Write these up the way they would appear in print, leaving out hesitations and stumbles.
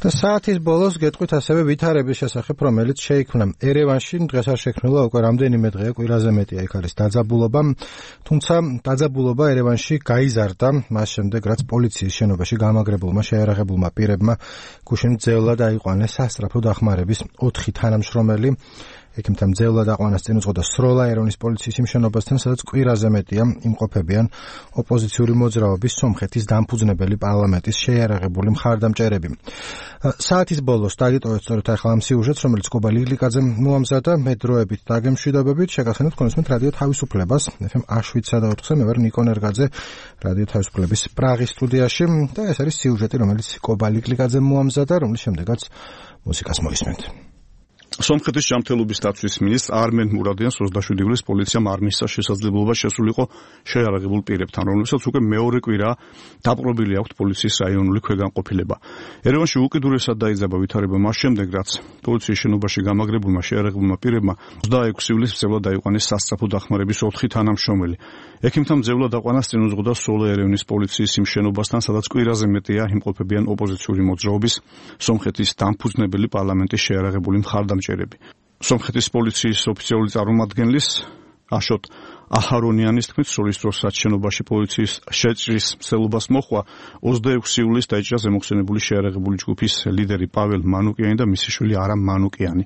და საათის ბოლოს გეტყვით ასევე ვითარების შესახებ, რომელიც შეიქმნა ერევანში, დღეს არ შექმნილა უკვე რამდენიმე დღეა, კვირაზე მეტია იქ არის დაძაბულობა, თუმცა დაძაბულობა ერევანში გაიზარდა მას შემდეგ, რაც პოლიციის შენობაში გამაგრებულმა შეიარაღებულმა პირებმა გუშინ ძევლად აიყვანეს სასწრაფო დახმარების 4 თანამშრომელი. ექიმთა მძევლად აყვანას წინ უძღოდა სროლა ერევნის პოლიციის იმ შენობასთან, სადაც კვირაზე მეტია იმყოფებიან ოპოზიციური მოძრაობის სომხეთის დამფუძნებელი პარლამენტის შეიარაღებული მხარდამჭერები. საათის ბოლოს დაგიტოვეთ სწორედ ახლა ამ სიუჟეტს, რომელიც კობა ლიგლიკაძემ მოამზადა, მე დროებით დაგემშვიდობებით, შეგახსენებთ თქვენს რადიო თავისუფლებას, FM 7/4-ზე, მე ვარ ნიკო ნერგაძე, რადიო თავისუფლების პრაღის სტუდიაში და ეს არის სიუჟეტი, რომელიც კობა ლიგლიკაძემ მოამზადა, რომლის შემდეგაც მუსიკას მოისმენთ. სომხეთის ჯანმრთელობის დაცვის მინისტრ არმენ მურადიანს 27 ივლისს პოლიციამ არ მისცა შესაძლებლობა შესულიყო შეიარაღებულ პირებთან, რომლებსაც უკვე მეორე კვირაა დაპყრობილი აქვთ პოლიციის რაიონული ქვეგანყოფილება. ერევანში უკიდურესად დაიძაბა ვითარება მას შემდეგ, რაც პოლიციის შენობაში გამაგრებულმა შეიარაღებულმა პირებმა 26 ივლისს მძევლად აიყვანეს სასწრაფო დახმარების 4 თანამშრომელი. ექიმთა მძევლად აყვანას წინ უძღოდა სროლა ერევნის პოლიციის იმ შენობასთან, სადაც კვირაზე მეტია იმყოფებიან ოპოზიციური მოძრაობის სომხეთის დამფუძნებელი პარლამენტის შეიარაღებული მხარდამჭერები. სომხეთის პოლიციის ოფიციალური წარმომადგენლის აშოტ აჰარონიანის თქმით, სროლის დროს რაც შენობაში პოლიციის შეჭრის მცდელობას მოხდა, 26 ივლისს დაიჭრა ზემოხსენებული შეიარაღებული ჯგუფის ლიდერი პაվել მანუკიანი და მისი შვილი არამ მანუკიანი.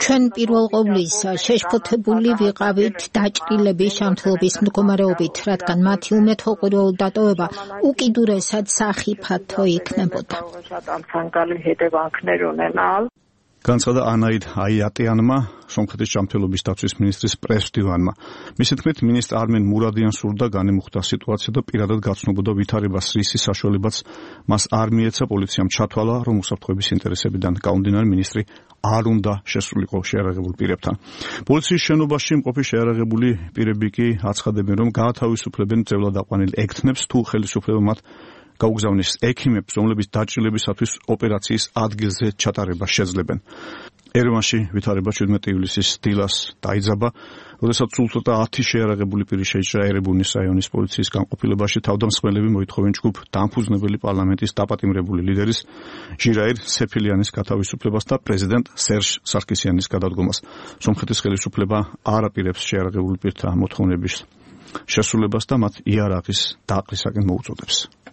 ჩვენ პირველ ყოვლისა შეშფოთებული ვიყავით დაჭრილების ჯანმრთელობის მდგომარეობით, რადგან მათი უმეთოყრილო დატოვება უკიდურესად სახიფათო იქნებოდა. განცხადა ანაიდ აიატიანმა, სომხეთის ჯანმრთელობის დაცვის მინისტრის პრესდივანმა. მისი თქმით, მინისტრ არმენ მურადიანს სურდა განემუხტა სიტუაცია და პირადად გაცნობოდა ვითარებას რისის საშუალებაც მას არ მიეცა პოლიციამ ჩათვალა, რომ უსაფრთხოების ინტერესებიდან გამომდინარე მინისტრი არ უნდა შესულიყო შეიარაღებულ პირებთან. პოლიციის შენობაში მყოფი შეიარაღებული პირები კი აცხადებენ, რომ გაათავისუფლებენ მძევლად აყვანილ ექთნებს, თუ ხელისუფლება მათ გაუგზავნეს ექიმებს, რომლებიც დაჭრილებისათვის ოპერაციის ადგილზე ჩატარებას შეძლებენ. ერევანში ვითარება 17 ივლისის დილას დაიძაბა, როდესაც სულ ცოტა 10 შეიარაღებული პირი შეიჭრა ერებუნის რაიონის პოლიციის განყოფილებაში. თავდამსხმელები მოითხოვენ ჯგუფ დამფუძნებელი პარლამენტის დაპატიმრებული ლიდერის ჟირაირ სეფილიანის გათავისუფლებას და პრეზიდენტ სერჟ სარკისიანის გადადგომას. სომხეთის ხელისუფლება არ აპირებს შეიარაღებული პირთა მოთხოვნების შესრულებას და მათ იარაღის დაყრისაკენ მოუწოდებს.